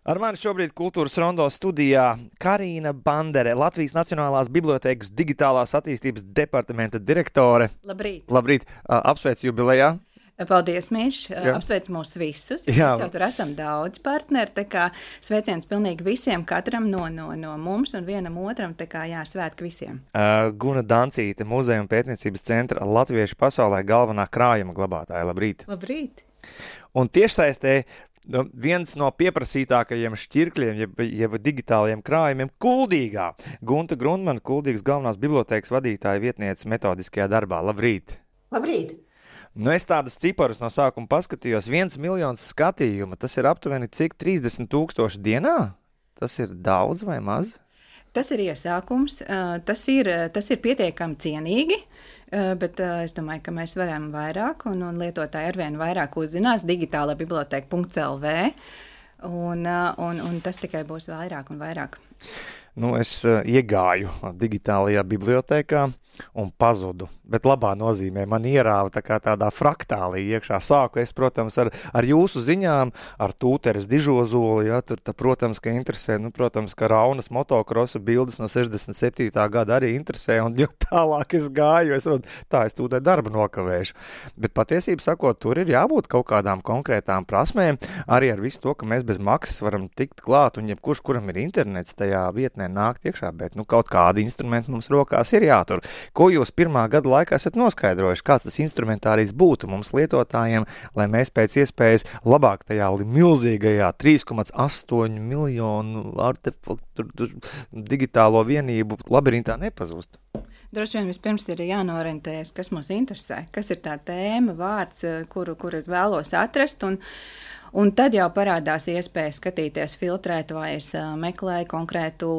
Ar mani šobrīd Kultūras rondo studijā Karīna Bandere, Latvijas Nacionālās bibliotēkas digitālās attīstības departamenta direktore. Labrīt! Labrīt! Apsveic jubilejā! Paldies, Miš! Apsveic mūs visus! Mēs jau tur esam daudz partneri, tā kā sveiciens pilnīgi visiem, katram no mums un vienam otram, tā kā svētki visiem. Guna Dancīte, Muzeja un pētniecības centra Latviešu pasaulē galvenā krājuma glabātāja. Labrīt! Labrīt! Un tiešsaistē viens no pieprasītākajiem šķirkļiem, jeb digitālajiem krājumiem, Kuldīgā. Gunta Grundmana, Kuldīgas galvenās bibliotēkas vadītāja vietniece metodiskajā darbā. Labrīt! Labrīt! Es tādus ciparus no sākuma paskatījos. 1 miljons skatījumu, tas ir aptuveni cik 30,000 dienā? Tas ir daudz vai maz? Tas ir iesākums, tas ir pietiekami cienīgi, bet es domāju, ka mēs varam vairāk un lietotāji arvien vairāk uzzinās digitālabiblioteka.lv un tas tikai būs vairāk un vairāk. Es iegāju digitālajā bibliotēkā un pazudu, bet labā nozīmē man ierāva tādā fraktālī iekšā. Sāku es, protams, ar jūsu ziņām, ar Tūteres dižozoli, tur, protams, ka interesē, protams, ka Raunas motokrosa bildes no 67. gada arī interesē, un jo tālāk es gāju, es tūdē darbu nokavēšu. Bet patiesību sakot, tur ir jābūt kaut kādām konkrētām prasmēm, arī ar visu to, ka mēs bez maksas varam tikt klāt, un jebkurš, kuram ir internets, tajā vietnē nākt iekšā, bet kaut kādi instrumenti mums rokās ir jātur. Ko jūs pirmā gada laikā esat noskaidrojuši? Kāds tas instrumentārijs būtu mums lietotājiem, lai mēs pēc iespējas labāk tajā milzīgajā 3,8 miljonu artefaktu digitālo vienību labirintā nepazustu? Droši vien vispirms ir jānorentējas, kas mūs interesē, kas ir tā tēma, vārds, kuru es vēlos atrast, un tad jau parādās iespēja skatīties, filtrēt, vai es meklēju konkrētu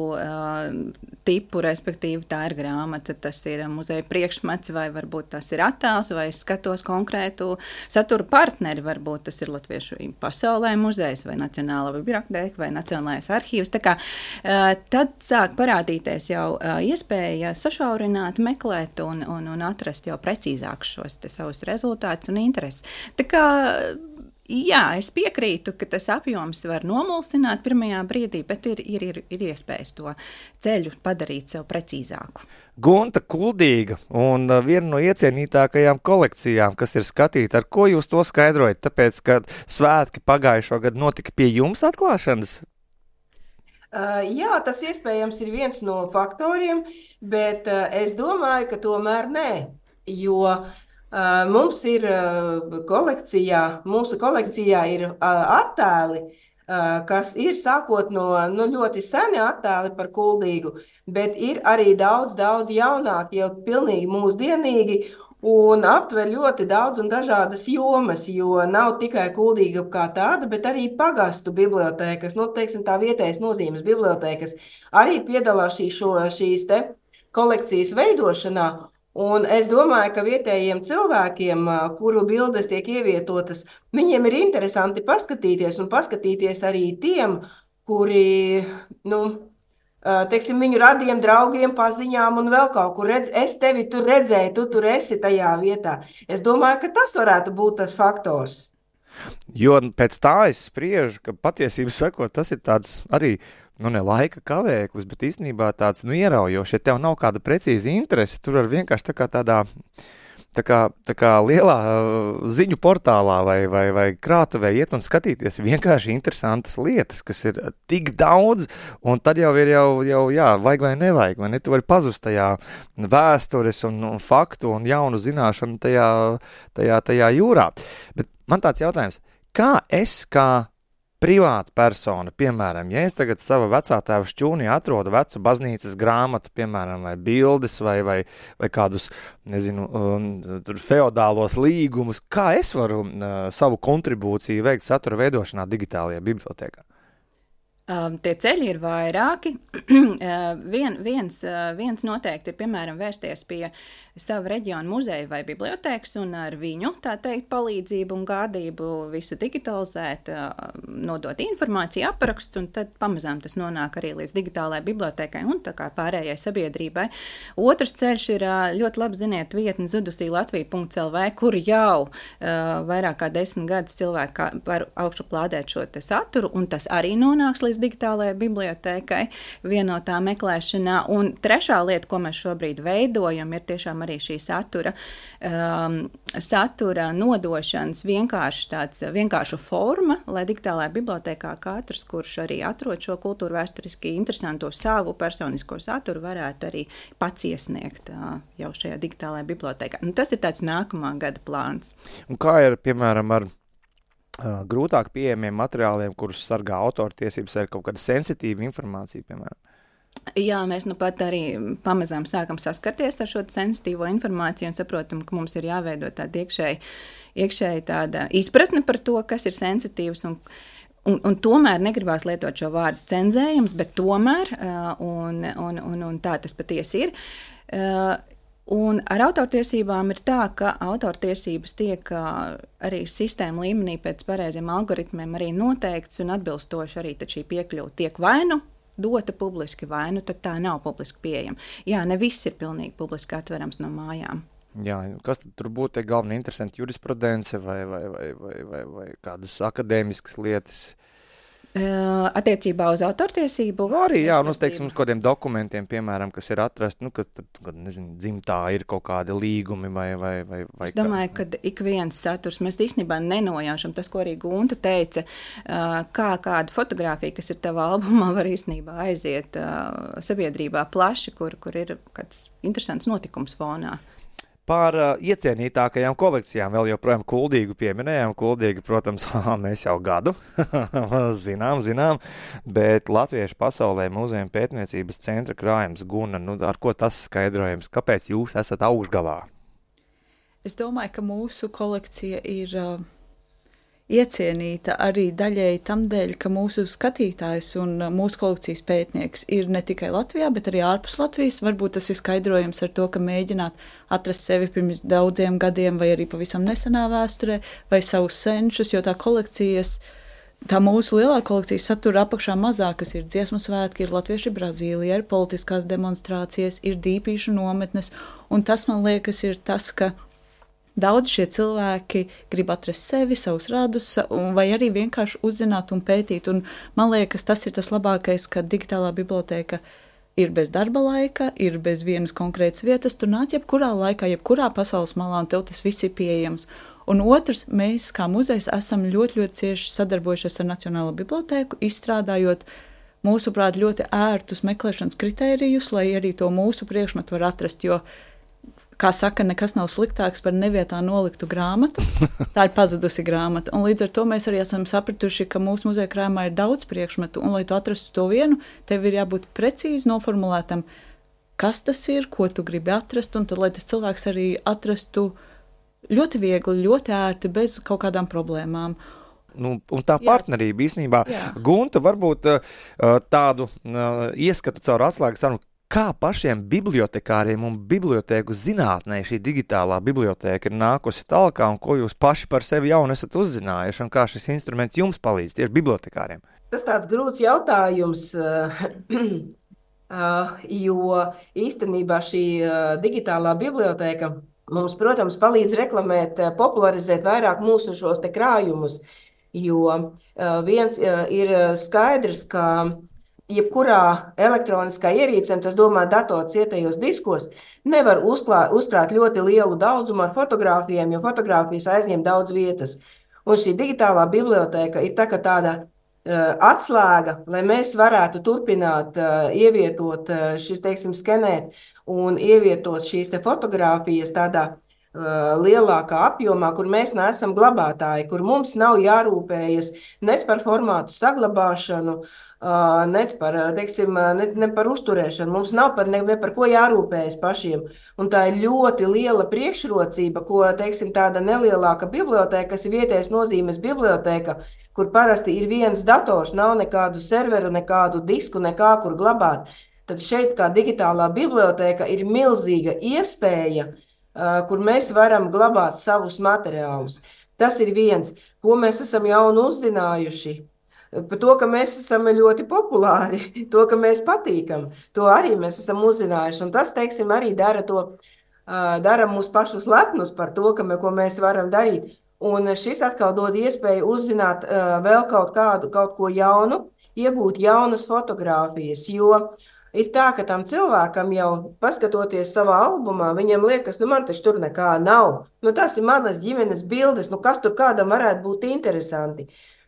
tipu, respektīvi tā ir grāmata, tas ir muzeja priekšmets, vai varbūt tas ir attēls, vai es skatos konkrētu satura partneri, varbūt tas ir Latviešu pasaulē muzejs, vai Nacionālā bibliotēka, vai Nacionālais arhīvs. Tā kā tad sāk parādīties jau iespēja sašaurināt, meklēt un atrast jau precīzāk šos te savus rezultātus un intereses. Tā kā jā, es piekrītu, ka tas apjoms var nomulsināt pirmajā brīdī, bet ir iespējas to ceļu padarīt sev precīzāku. Gunta Kuldīga un viena no iecienītākajām kolekcijām, kas ir skatīta, ar ko jūs to skaidrojat? Tāpēc, ka svētki pagājušo gadu notika pie jums atklāšanas? Jā, tas iespējams ir viens no faktoriem, bet es domāju, ka tomēr nē, jo mums ir mūsu kolekcijā ir attēli, kas ir sākot no ļoti seni attēli par Kuldīgu, bet ir arī daudz jaunāki, jau pilnīgi mūsdienīgi un aptver ļoti daudz un dažādas jomas, jo nav tikai Kuldīga kā tāda, bet arī pagastu bibliotēkas, teiksim tā vietējas nozīmes bibliotēkas arī piedalās šīs te kolekcijas veidošanā. Un es domāju, ka vietējiem cilvēkiem, kuru bildes tiek ievietotas, viņiem ir interesanti paskatīties arī tiem, kuri, teiksim, viņu radiem, draugiem, paziņām un vēl kaut kur redz, es tevi tur redzēju, tu tur esi tajā vietā. Es domāju, ka tas varētu būt tas faktors. Jo pēc tā es spriežu, ka patiesībā sakot, tas ir tāds arī ne laika kavēklis, bet īstenībā tāds ieraujošs, ja tev nav kāda precīza interese, tur var vienkārši tā kā lielā ziņu portālā vai krātuvē iet un skatīties vienkārši interesantas lietas, kas ir tik daudz, un tad jau ir vajag vai nevajag, vai ne? Tu vari pazust tajā vēstures un faktu un jaunu zināšanu tajā jūrā. Bet man tāds jautājums, kā privāta persona, piemēram, ja es tagad sava vecā tēva šķūnī atrodu vecu baznīcas grāmatu, piemēram, vai bildes, vai kādus, tur feodālos līgumus, kā es varu savu kontribūciju veikt satura veidošanā digitālajā bibliotēkā? Tie ceļi ir vairāki. Viens noteikti ir, piemēram, vērsties pie savu reģionu muzeju vai bibliotēkas un ar viņu, tā teikt, palīdzību un gādību visu digitalizēt, nodot informāciju, apraksts, un tad pamazām tas nonāk arī līdz digitālajai bibliotēkai un tā kā pārējai sabiedrībai. Otrs ceļš ir ļoti labi ziniet vietni zudusīlatvija.lv, kur jau vairāk kā 10 gadus cilvēki var augšuplādēt šo te saturu, un tas arī nonāks līdz digitālajai bibliotēkai vienotā meklēšanā. Un trešā lieta, ko mēs šobrīd veidojam, ir tiešām arī šī satura nodošanas vienkārša forma, lai digitālajā bibliotēkā katrs, kurš arī atrod šo kultūru vēsturiski interesanto savu personisko saturu, varētu arī pats iesniegt jau šajā digitālajā bibliotēkā. Un tas ir tāds nākamā gada plāns. Un kā ir, piemēram, ar grūtāk pieejamiem materiāliem, kurus sargā autortiesības, ir kaut kāda sensitīva informācija, piemēram? Jā, mēs nu pat arī pamazām sākam saskarties ar šo sensitīvo informāciju un saprotam, ka mums ir jāveido tāda iekšēji tāda izpratne par to, kas ir sensitīvs un tomēr negribās lietot šo vārdu cenzējums, bet tomēr, un tā tas patiesi ir. Un ar autortiesībām ir tā, ka autortiesības tiek arī sistēma līmenī pēc pareiziem algoritmiem arī noteikts un atbilstoši arī tad šī piekļuva tiek vai nu dota publiski, vai nu tad tā nav publiski pieejama. Jā, ne viss ir pilnīgi publiski atverams no mājām. Jā, kas tad tur būtu tie galveni interesanti jurisprudence vai kādas akadēmiskas lietas? Attiecībā uz autortiesību? Arī, jā, un uz kādiem dokumentiem, piemēram, kas ir atrasti, kas tur, nezinu, dzimtā ir kaut kādi līgumi vai Es domāju, ka ik viens saturs, mēs īstenībā nenojaušam tas, ko arī Gunta teica, kā kāda fotogrāfija, kas ir tavā albumā, var īstenībā aiziet sabiedrībā plaši, kur ir kāds interesants notikums fonā. Par iecienītākajām kolekcijām vēl joprojām Kuldīgu pieminējām. Kuldīga, protams, mēs jau gadu zinām, bet Latviešu pasaulē Mūzejuma pētniecības centra krājums Guna, ar ko tas skaidrojums? Kāpēc jūs esat augšgalā? Es domāju, ka mūsu kolekcija ir iecienīta arī daļēji tam dēļ, ka mūsu skatītājs un mūsu kolekcijas pētnieks ir ne tikai Latvijā, bet arī ārpus Latvijas. Varbūt tas ir skaidrojums ar to, ka mēģināt atrast sevi pirms daudziem gadiem vai arī pavisam nesenā vēsturē vai savus senčus, jo tā mūsu lielā kolekcija satura apakšā mazāk, kas ir dziesmu svētki, ir latvieši Brazīlijā, ir politiskās demonstrācijas, ir dīpīšu nometnes, un tas, man liekas, ir tas, ka daudz šie cilvēki grib atrast sevi, savus radus, vai arī vienkārši uzzināt un pētīt. Un man liekas, tas ir tas labākais, ka digitālā bibliotēka ir bez darba laika, ir bez vienas konkrētas vietas. Tu nāc jebkurā laikā, jebkurā pasaules malā, un tev tas viss ir pieejams. Un otrs, mēs kā muzejs esam ļoti, ļoti cieši sadarbojušies ar Nacionālo bibliotēku, izstrādājot, mūsuprāt, ļoti ērtus meklēšanas kritērijus, lai arī to mūsu priekšmetu var atrast, jo kā saka, nekas nav sliktāks par nevietā noliktu grāmatu. Tā ir pazudusi grāmata. Un līdz ar to mēs arī esam sapratuši, ka mūsu muzeja krājumā ir daudz priekšmetu, un lai tu atrastu to vienu, tev ir jābūt precīzi noformulētam, kas tas ir, ko tu gribi atrast, un tad, lai tas cilvēks arī atrastu ļoti viegli, ļoti ērti, bez kaut kādām problēmām. Un tā partnerība īstenībā, Gunta, varbūt tādu ieskatu caur atslēgas sarunu, kā pašiem bibliotekāriem un bibliotēku zinātnē šī digitālā bibliotēka ir nākusi tālāk, un ko jūs paši par sevi jaunu esat uzzinājuši, un kā šis instruments jums palīdz tieši bibliotekāriem? Tas tāds grūts jautājums, jo īstenībā šī digitālā bibliotēka mums, protams, palīdz reklamēt, popularizēt vairāk mūsu šos te krājumus, jo viens ir skaidrs, ka jebkurā elektroniskā ierīcē, tas domā dators cietējos diskos, nevar uzkrāt ļoti lielu daudzumu ar fotogrāfijām, jo fotogrāfijas aizņem daudz vietas. Un šī digitālā bibliotēka ir tāda atslēga, lai mēs varētu turpināt ievietot skenēt un ievietot šīs te fotogrāfijas tādā lielākā apjomā, kur mēs neesam glabātāji, kur mums nav jārūpējas nec par formātu saglabāšanu, ne par uzturēšanu. Mums nav ne par ko jārūpējas pašiem. Un tā ir ļoti liela priekšrocība, ko, tāda nelielāka bibliotēka, kas ir vietējas nozīmes bibliotēka, kur parasti ir viens dators, nav nekādu serveru, nekādu disku, nekā kur glabāt. Tad šeit kā digitālā bibliotēka ir milzīga iespēja kur mēs varam glabāt savus materiālus. Tas ir viens, ko mēs esam jau uzzinājuši. Par to, ka mēs esam ļoti populāri, to, ka mēs patīkam, to arī mēs esam uzzinājuši. Un tas, teiksim, arī dara mūs pašus lepnus par to, ko mēs varam darīt. Un šis atkal dod iespēju uzzināt vēl kaut ko jaunu, iegūt jaunas fotogrāfijas, jo ir tā, ka tam cilvēkam jau paskatoties savā albumā, viņam liekas, man taču tur nekā nav. Tas ir manas ģimenes bildes, kas tur kādam varētu būt interesanti.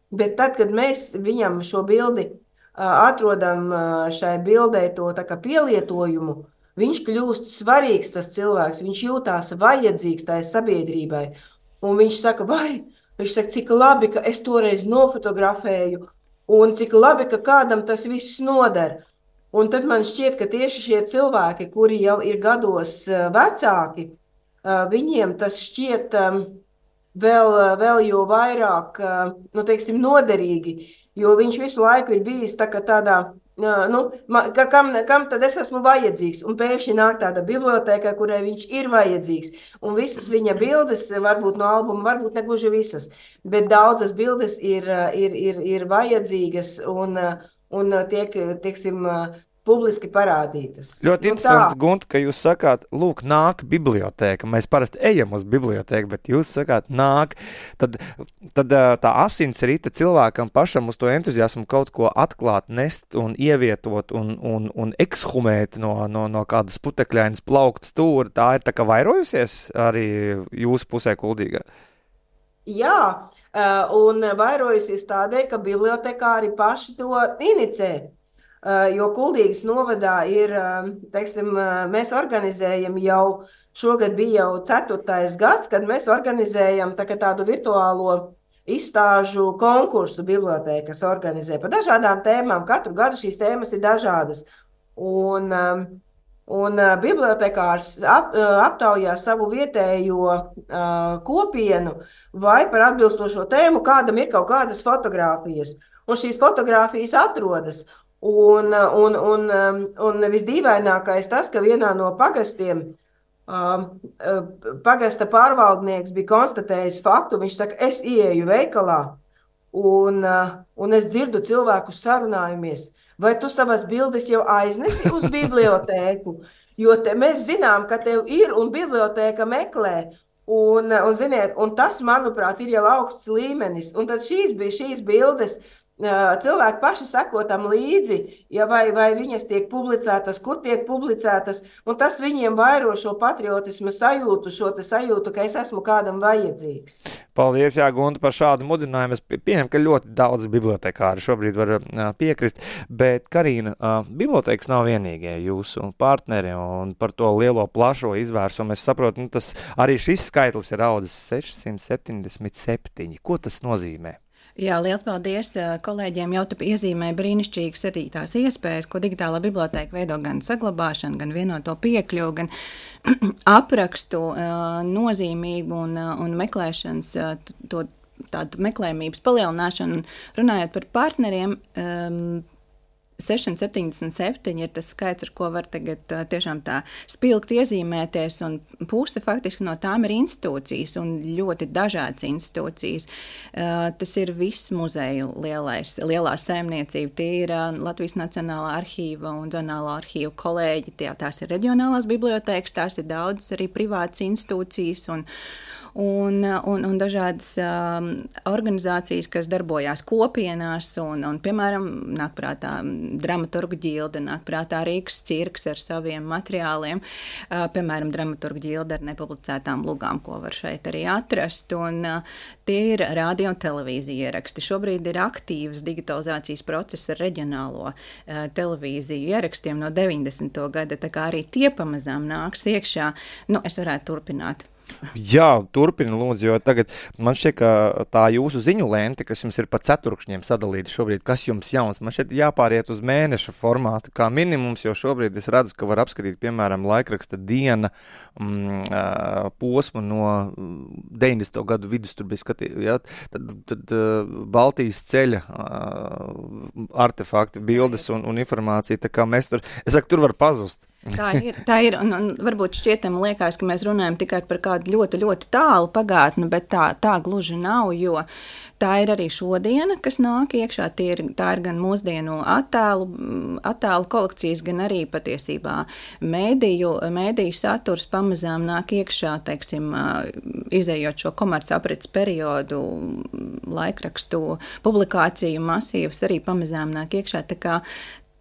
Bet tad, kad mēs viņam šo bildi atrodam šai bildei to tā kā pielietojumu, viņš kļūst svarīgs tas cilvēks, viņš jūtās vajadzīgs tai sabiedrībai. Un viņš saka, cik labi, ka es toreiz nofotografēju, un cik labi, ka kādam tas viss noder. Un tad man šķiet, ka tieši šie cilvēki, kuri jau ir gados vecāki, viņiem tas šķiet vēl jo vairāk, noderīgi, jo viņš visu laiku ir bijis tādā, kam tad es esmu vajadzīgs, un pēkšņi nāk tāda bibliotēka, kurai viņš ir vajadzīgs, un visas viņa bildes, varbūt no albuma, varbūt negluži visas, bet daudzas bildes ir vajadzīgas un tiek, teiksim, publiski parādītas. Ļoti interesanti, Gunta, ka jūs sakāt, lūk, nāk bibliotēka. Mēs parasti ejam uz bibliotēku, bet jūs sakāt, nāk. Tad tā asins rita cilvēkam pašam uz to entuziasmu kaut ko atklāt, nest un ievietot un ekshumēt no kādas putekļainas plauktas stūra. Tā ir tā kā vairojusies arī jūsu pusē Kuldīgā? Jā, un vairojusies tādēļ, ka bibliotekāri paši to inicē. Jo Kuldīgas novadā ir, teiksim, mēs organizējam jau, šogad bija jau 4. gads, kad mēs organizējam tādu virtuālo izstāžu konkursu bibliotēkas organizē par dažādām tēmām. Katru gadu šīs tēmas ir dažādas. Un bibliotekārs aptaujā savu vietējo kopienu vai par atbilstošo tēmu, kādam ir kaut kādas fotogrāfijas. Un šīs fotogrāfijas atrodas. Un visdīvainākais tas, ka vienā no pagastiem pagasta pārvaldnieks bija konstatējis faktu, viņš saka, es ieeju veikalā un es dzirdu cilvēkus sarunājumies, vai tu savas bildes jau aiznesi uz bibliotēku, jo mēs zinām, ka tev ir un bibliotēka meklē. Ziniet, un tas, manuprāt, ir jau augsts līmenis. Un tad šīs bildes cilvēki paši seko tam līdzi, vai viņas tiek publicētas, kur tiek publicētas, un tas viņiem vairo šo patriotismu sajūtu, ka es esmu kādam vajadzīgs. Paldies, Gunta, par šādu mudinājumu. Es pieņemu, ka ļoti daudz bibliotekāri šobrīd var piekrist, bet, Karīna, bibliotekas nav vienīgie jūsu partneri, un par to lielo plašo izvērsumu es saprotu, tas arī šis skaitlis ir audzis 677. Ko tas nozīmē? Jā, liels paldies kolēģiem, jau tu iezīmē brīnišķīgas arī tās iespējas, ko digitālā bibliotēka veido gan saglabāšanu, gan vienoto piekļuvu, gan aprakstu nozīmību un meklēšanas, tādu meklējumības palielināšanu. Runājot par partneriem, 677 ir tas skaits, ar ko var tagad tiešām tā spilgt iezīmēties, un puse faktiski no tām ir institūcijas, un ļoti dažādas institūcijas. Tas ir viss muzeju lielā saimniecība, tie ir Latvijas Nacionālā arhīva un Zonālo arhīvu kolēģi, tās ir reģionālās bibliotēkas, tās ir daudzas arī privātas institūcijas un dažādas organizācijas, kas darbojās kopienās, un piemēram, nāk prātā dramaturgu ģilde, nāk prātā Rīgas cirks ar saviem materiāliem, piemēram, dramaturgu ģilde ar nepublicētām lugām, ko var šeit arī atrast, un tie ir radio un televīzija ieraksti. Šobrīd ir aktīvas digitalizācijas process ar reģionālo televīziju ierakstiem no 90. gada, tā kā arī tie pamazām nāks iekšā. Es varētu turpināt. Jā, turpina lūdzu, jo tagad man šķiet, ka tā jūsu ziņu lente, kas jums ir pa ceturkšņiem sadalīta šobrīd, kas jums jauns, man šķiet jāpāriet uz mēneša formātu kā minimums, jo šobrīd es redzu, ka var apskatīt, piemēram, laikraksta Diena posmu no 90. gadu vidus, tur bija skatīt, ja? Tad Baltijas ceļa artefakti, bildes un informācija, tā kā mēs tur, es saku, tur var pazust. Tā ir, un varbūt šķietam liekas, ka mēs runājam tikai par kādu ļoti, ļoti tālu pagātni, bet tā gluži nav, jo tā ir arī šodiena, kas nāk iekšā. Tā ir gan mūsdienu attēlu kolekcijas, gan arī patiesībā mēdīju saturs pamazām nāk iekšā, teiksim, izējot šo komercaprits periodu, laikrakstu publikāciju masīvas arī pamazām nāk iekšā, tā kā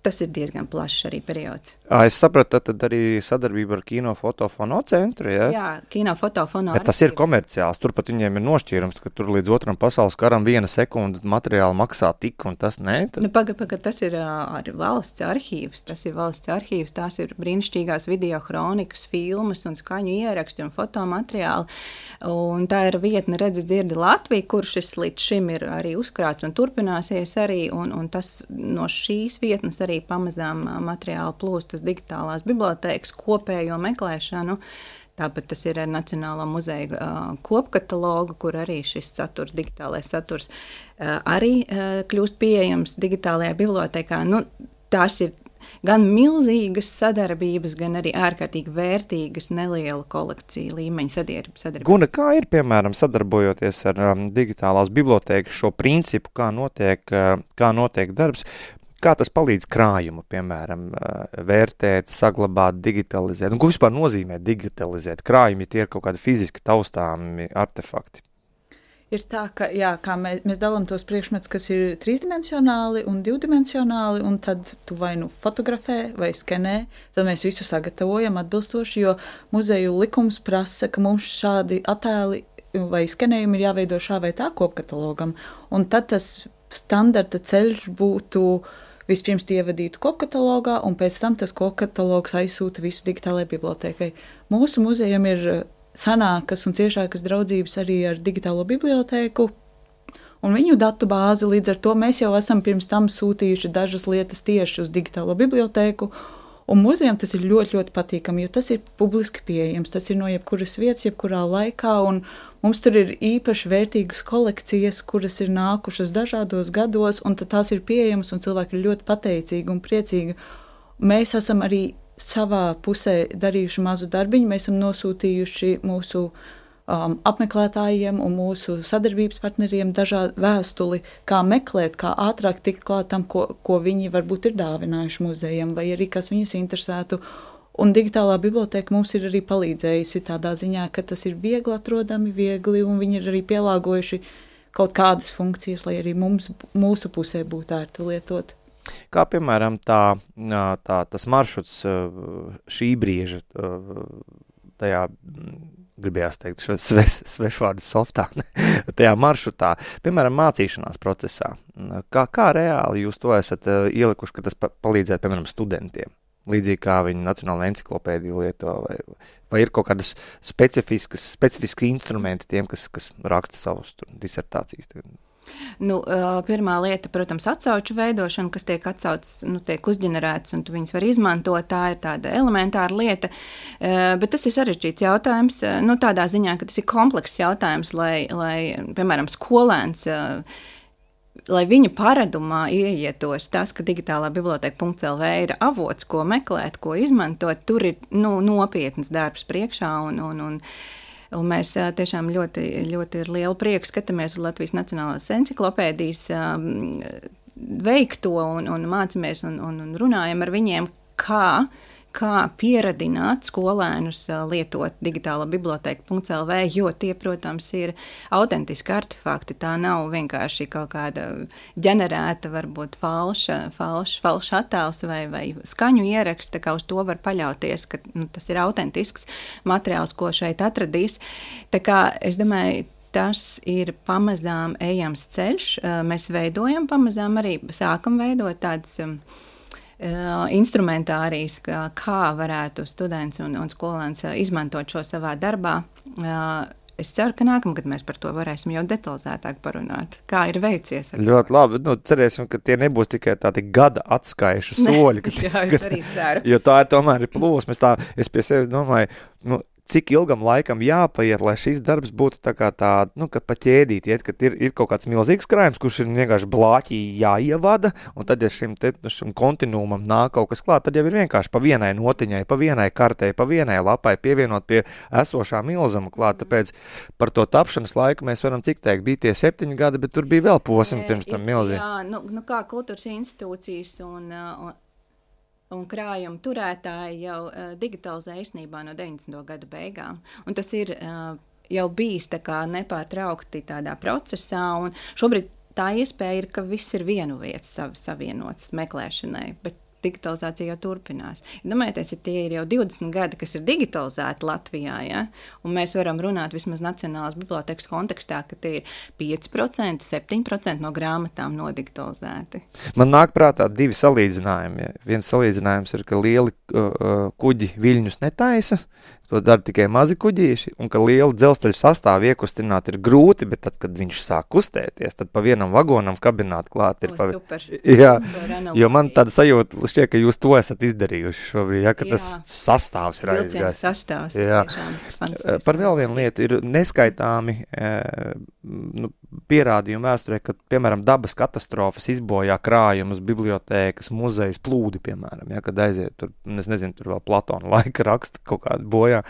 tas ir diezgan plašs arī periods. Es sapratu, tad arī sadarbība ar Kino fotofono centru, ja? Jā, Kino fotofono bet tas ir komerciāls, turpat viņiem ir nošķīrums, ka tur līdz otram pasaules karam 1 sekunda materiāli maksā tik, un tas ne? Tad... Paga, tas ir valsts arhīvs, tās ir brīnišķīgās video kronikas, filmas un skaņu ieraksti un fotomateriāli, un tā ir vietne Redzi dzirdi Latvija, kur šis līdz šim ir arī uzkrāts un turpināsies arī, un tas no šīs vietnes arī pamazām materiāli plūst uz digitālās bibliotēkas kopējo meklēšanu. Tāpat tas ir ar Nacionālo muzeju kopkatalogu, kur arī šis saturs, digitālais saturs, arī kļūst pieejams digitālajā bibliotēkā. Tās ir gan milzīgas sadarbības, gan arī ārkārtīgi vērtīgas neliela kolekcija līmeņa sadarbības. Guna, kā ir, piemēram, sadarbojoties ar digitālās bibliotēkas šo principu, kā notiek darbs? Kā tas palīdz krājumu, piemēram, vērtēt, saglabāt, digitalizēt? Un ko vispār nozīmē digitalizēt? Krājumi, tie ir kaut kādi fiziski taustāmi artefakti. Ir tā, ka kā mēs dalām tos priekšmetus, kas ir trīsdimensionāli un divdimensionāli, un tad tu vai fotografē vai skenē, tad mēs visu sagatavojam atbilstoši, jo muzeju likums prasa, ka mums šādi attēli vai skenējumi ir jāveido šā vai tā kopkatalogam, un tad tas standarta ceļš būtu vispirms ievadītu kopkatalogā, un pēc tam tas kopkatalogs aizsūta visu digitālajai bibliotēkai. Mūsu muzejam ir senākas un ciešākas draudzības arī ar digitālo bibliotēku un viņu datu bāzi, līdz ar to mēs jau esam pirms tam sūtījuši dažas lietas tieši uz digitālo bibliotēku, un muzejam tas ir ļoti, ļoti patīkami, jo tas ir publiski pieejams, tas ir no jebkuras vietas, jebkurā laikā, un mums tur ir īpaši vērtīgas kolekcijas, kuras ir nākušas dažādos gados, un tad tās ir pieejamas, un cilvēki ir ļoti pateicīgi un priecīgi. Mēs esam arī savā pusē darījuši mazu darbiņu, mēs esam nosūtījuši mūsu apmeklētājiem un mūsu sadarbības partneriem dažādu vēstuli, kā meklēt, kā ātrāk tikt klāt tam, ko viņi varbūt ir dāvinājuši muzejam, vai arī kas viņus interesētu. Un digitālā bibliotēka mums ir arī palīdzējusi tādā ziņā, ka tas ir viegli atrodami, un viņi ir arī pielāgojuši kaut kādas funkcijas, lai arī mūsu pusē būtu ērti lietot. Kā, piemēram, tas maršruts šī brīža tajā, gribējās teikt, šo svešvārdu softā, tajā maršrutā, piemēram, mācīšanās procesā. Kā reāli jūs to esat ielikuši, ka tas palīdzētu, piemēram, studentiem? Līdzīgi kā viņi nacionāla enciklopēdiju lieto, vai ir kaut kādas specifiski instrumenti tiem, kas raksta savus disertācijas? Pirmā lieta, protams, atsauču veidošana, kas tiek atsaucis, tiek uzģenerēts, un tu viņus var izmantot, tā ir tāda elementāra lieta, bet tas ir sarežģīts jautājums, tādā ziņā, ka tas ir komplekss jautājums, lai piemēram, skolēns, lai viņa paradumā ieietos tas, ka digitālā biblioteka.lv ir avots, ko meklēt, ko izmantot, tur ir nopietnas darbs priekšā, un mēs tiešām ļoti, ļoti ar lielu prieku skatāmies uz Latvijas Nacionālās enciklopēdijas veikto un mācamies un runājam ar viņiem, kā pieradināt skolēnus lietot digitālo biblioteka.lv, jo tie, protams, ir autentiski artefakti. Tā nav vienkārši kaut kāda ģenerēta, varbūt falšs attēls vai skaņu ieraksts, tā kā uz to var paļauties, ka tas ir autentisks materiāls, ko šeit atradīs. Tā kā es domāju, tas ir pamazām ejams ceļš. Mēs veidojam pamazām arī, sākam veidot tādus instrumentārijas, kā varētu students un skolēns izmantot šo savā darbā. Es ceru, ka nākamgad mēs par to varēsim jau detalizētāk parunāt. Kā ir veicies? Ļoti labi. Cerēsim, ka tie nebūs tikai tādi gada atskaišu soļi. Jā, es arī ceru. Jo tā ir tomēr plūsma. Es pie sevis domāju, cik ilgam laikam jāpaiet, lai šis darbs būtu tā kā tā, nu, ka pa ķēdīt iet, kad ir kaut kāds milzīgs krājums, kurš ir vienkārši blāķī jāievada, un tad, ja šim kontinuumam nāk kaut kas klāt, tad jau ir vienkārši pa vienai notiņai, pa vienai kartei, pa vienai lapai pievienot pie esošā milzuma klāt. Tāpēc par to tapšanas laiku mēs varam cik teikt, bija tie 7 gadi, bet tur bija vēl posmi pirms tam milzīgi. Jā, nu kā kultūras institūcijas un krājuma turētāji jau digitalizē īstenībā no 90. gadu beigām. Un tas ir jau bijis tā kā nepārtraukti tādā procesā, un šobrīd tā iespēja ir, ka viss ir vienu vietu savienots meklēšanai, bet digitalizācija jau turpinās. Domājieties, ja tie ir jau 20 gadi, kas ir digitalizēti Latvijā, ja? Un mēs varam runāt vismaz Nacionālās bibliotēkas kontekstā, ka tie ir 5%, 7% no grāmatām nodigitalizēti. Man nāk prātā 2 salīdzinājumi. Ja. Viens salīdzinājums ir, ka lieli kuģi viļņus netaisa, to dara tikai mazi kuģīši, un ka lielu dzelzceļa sastāvu iekustināt ir grūti, bet tad, kad viņš sāk kustēties, tad pa vienam vagonam kabināt klāt ir. Super. Jā, jo man tāda sajūta šķiet, ka jūs to esat izdarījuši šobrīd, ja, ka tas sastāvs ir aizgājis. Vilcienu sastāvs. Jā. Par vēl vienu lietu ir neskaitāmi pierādījumi vēsturē, ka, piemēram, dabas katastrofas izbojā krājumus, bibliotēkas, muzejus, plūdi, piemēram, ja, kad aiziet tur, es nezinu, tur vēl Platona laika raksta kaut kādu bojā.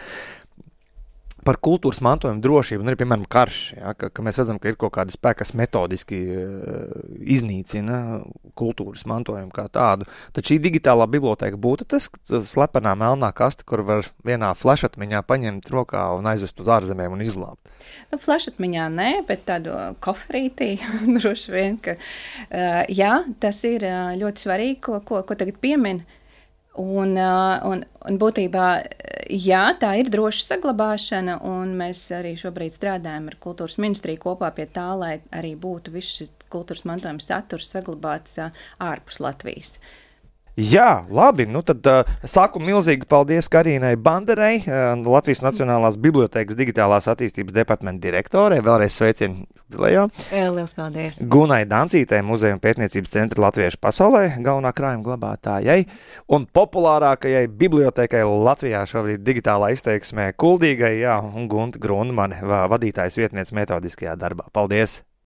Par kultūras mantojumu drošību, un arī, piemēram, karš, ja, ka mēs redzam, ka ir kaut kādi spēki, kas metodiski iznīcina kultūras mantojumu kā tādu. Tad šī digitālā bibliotēka būtu tas slepenā melnā kaste, kur var vienā flešatmiņā paņemt rokā un aizvest uz ārzemēm un izglābt. Nu, flešatmiņā nē, bet tādu koferītī droši vien, ka jā, tas ir ļoti svarīgi, ko tagad piemin. Un būtībā, jā, tā ir droša saglabāšana, un mēs arī šobrīd strādājam ar kultūras ministriju kopā pie tā, lai arī būtu viss šis kultūras mantojuma saturs saglabāts ārpus Latvijas. Jā, labi, nu tad saku milzīgi paldies Karīnai Banderei, Latvijas Nacionālās bibliotēkas digitālās attīstības departamenta direktorei, vēlreiz sveicienu jubilejā. Liels paldies. Gunai Dancītei, Muzeja un pētniecības centra Latviešu pasaulē, galvenā krājuma glabātājai, un populārākajai bibliotēkai Latvijā šobrīd digitālā izteiksmē Kuldīgai, jā, un Gunta Grundmane, vadītājas vietniece metodiskajā darbā. Paldies!